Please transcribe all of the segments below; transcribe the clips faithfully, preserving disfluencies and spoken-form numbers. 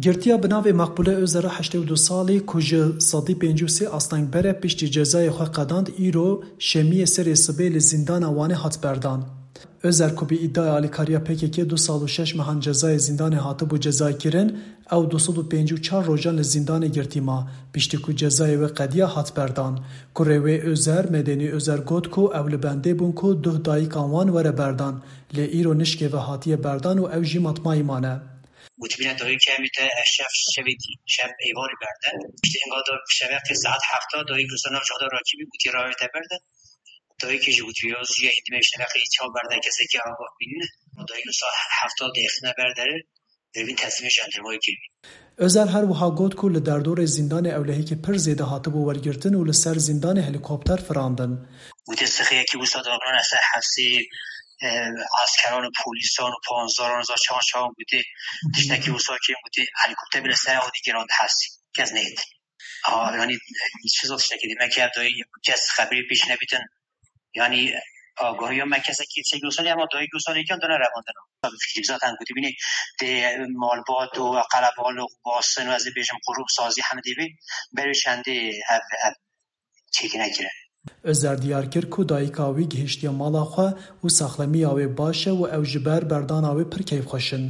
Girtiya bi navê Makbule Ozera heştê û du salî ku ji sedî pêncî û sê astengber e piştî cezayê xwe qedand îro şemiyê serê sibê li zîndana Wanê hat berdan. Ozer ku bi îdaya alîkariya P K K du sal û şeş mehan cezayê zîndanê hatibû cezaykirin, ew du sed û pêncî û çar rojan li zîndanê girtî ma, piştî ku cezayê wê qediya hat berdan. Kurê wê Ozer, Medenî Ozer got ku ew li bendê bûn ku duh dayikan wan were berdan, lê îro nişkê ve hatiye berdan û ew jî matmayî mane. Gotibîne dayikê em ê te ev şev şevê dî, şev êvarî berde. Piştî hinga da şeveqê saet hefta dayik wisa nav cihda rakibî gotî rawê te berde. Dayikê jî gotî ya zû ye hindî me şeveqê çaw berde kesekî agah bînine. Dayik wisa hefta dayixine berdere, devîn teslîmê jandarmayê kirî. Ozer her wiha got ku li derdorê zîndanê ewlehîkî pir zêde hatibû wergirtin û li ser zîndanê helîkopter firandin. Gotê sixiyekî wisa danane ser hevsê, e, eskeran û polîsan û panzdaran û çawan çawan gotê tiştekî wisa kêm gotê helîkopter bile ser ew dî girand hevsê. Kes neyêt. Ha, yanî çi zor tiştekî dî. Me ki ev dayî kes xeberî pêş nebîtin. Yanî agahiya me kesekî çek wisa ama dayî wisa lêkan dana revandina. Fikrî zaten gotî bînî tê malbat û qelebal û basin û ez ê bêjim qurû sazî hemdî bî. Berê çendê ev, ev çêkî nekire. Ozer diyar kir ku dayika wî gihiştiye mala xwe û saxlemiya wê baş e û ew ji ber berdana wê pir keyfxweş in.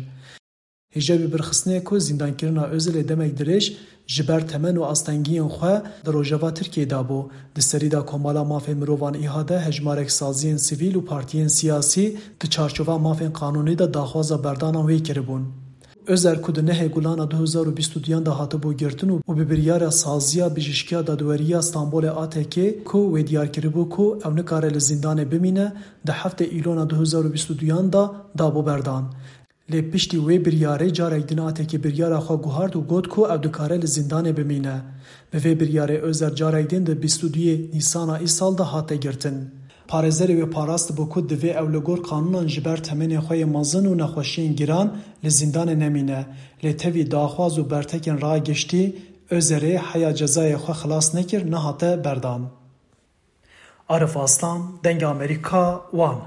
Hêja wî bi rêxistinê ku zîndankirina Ozerê demek dirêj ji ber temen û astengiyên xwe di rojeva Tirkiyê de bû. Di serî de Komala Mafên Mirovan ÎHD hejmarek saziyên sivîl û partiyên siyasî di çarçova mafên qanûnî de daxwaza berdana wê kiribûn. Ozer ku di nehê Gulana du hezar û bîst û duyan de hatibû girtin û, û bi biryara saziya Bijîşkiya Dadweriya Stenbolê A T K ku wê diyar kiribû ku ew nikare li zîndanê bimîne, di heftê Îlona du hezar û bîst û duyan de dabû berdan. Lê piştî wê biryarê carek din A T K biryara xwe guhart û got ku ew dikare li zîndanê bimîne. Bi vê biryarê Ozer carek din di bîst û duyê Nîsana îsal de hate girtin. Parêzerê wê parastibû ku divê ew li gor qanûnan ji ber temenê xwe yê mezin û nexweşiyên giran li zîndanê nemîne, lê tevî daxwaz û bertekên ragiştî Ozerê heya cezayê xwe xilas nekir, nehate berdan. Arif Aslan, Dengê Amerîka, Wan.